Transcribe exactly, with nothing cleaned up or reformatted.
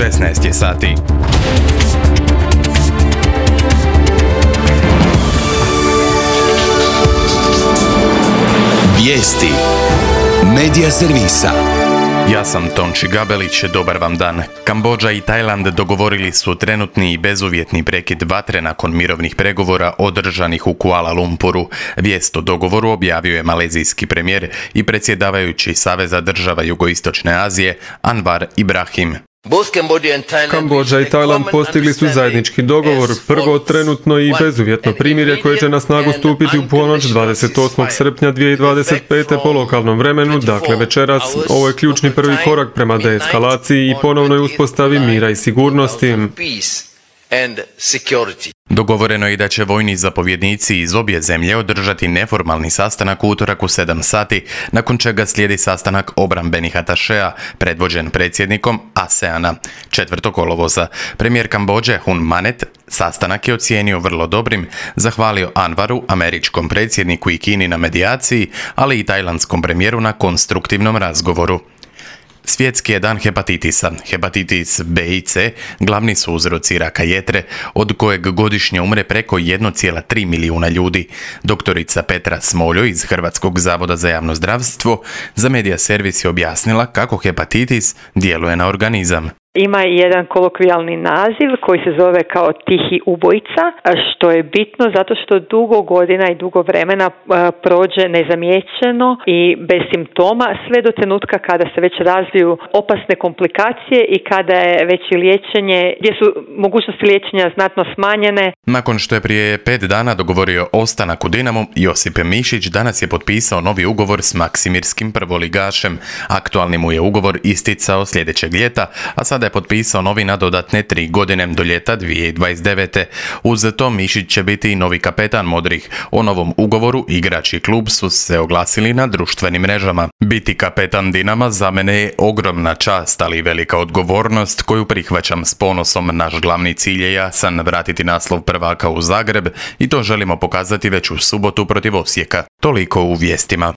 šesnaest je sati. Vijesti Medija servisa. Ja sam Tonči Gabelić, dobar vam dan. Kambodža i Tajland dogovorili su trenutni i bezuvjetni prekid vatre nakon mirovnih pregovora održanih u Kuala Lumpuru. Vijest o dogovoru objavio je malezijski premijer i predsjedavajući Saveza država Jugoistočne Azije Anwar Ibrahim. Kambodža i Tajland postigli su zajednički dogovor, prvo trenutno i bezuvjetno primirje koje će na snagu stupiti u ponoć dvadeset osmog srpnja dvije tisuće dvadeset pete po lokalnom vremenu, dakle večeras. Ovo je ključni prvi korak prema deeskalaciji i ponovnoj uspostavi mira i sigurnosti. Dogovoreno je da će vojni zapovjednici iz obje zemlje održati neformalni sastanak u utorak u sedam sati, nakon čega slijedi sastanak obrambenih atašeja, predvođen predsjednikom ASEANA. četvrtog kolovoza premijer Kambodže Hun Manet sastanak je ocijenio vrlo dobrim, zahvalio Anwaru, američkom predsjedniku i Kini na medijaciji, ali i tajlandskom premijeru na konstruktivnom razgovoru. Svjetski je dan hepatitisa. Hepatitis B i C glavni su uzroci raka jetre, od kojeg godišnje umre preko jedan zarez tri milijuna ljudi. Doktorica Petra Smoljo iz Hrvatskog zavoda za javno zdravstvo za Medija servis je objasnila kako hepatitis djeluje na organizam. Ima jedan kolokvijalni naziv koji se zove kao tihi ubojica, što je bitno zato što dugo godina i dugo vremena prođe nezamijećeno i bez simptoma sve do trenutka kada se već razviju opasne komplikacije i kada je već i liječenje, gdje su mogućnosti liječenja znatno smanjene. Nakon što je prije pet dana dogovorio ostanak u Dinamu, Josip Mišić danas je potpisao novi ugovor s Maksimirskim prvoligašem. Aktualni mu je ugovor isticao sljedećeg ljeta, a sada je potpisao novi na dodatne tri godine do ljeta dvije tisuće dvadeset devete. Uz to Mišić će biti i novi kapetan modrih. O novom ugovoru igrač i klub su se oglasili na društvenim mrežama. Biti kapetan Dinama za mene je ogromna čast, ali i velika odgovornost koju prihvaćam s ponosom. Naš glavni cilj je jasan, vratiti naslov prvaka u Zagreb i to želimo pokazati već u subotu protiv Osijeka. Toliko u vijestima.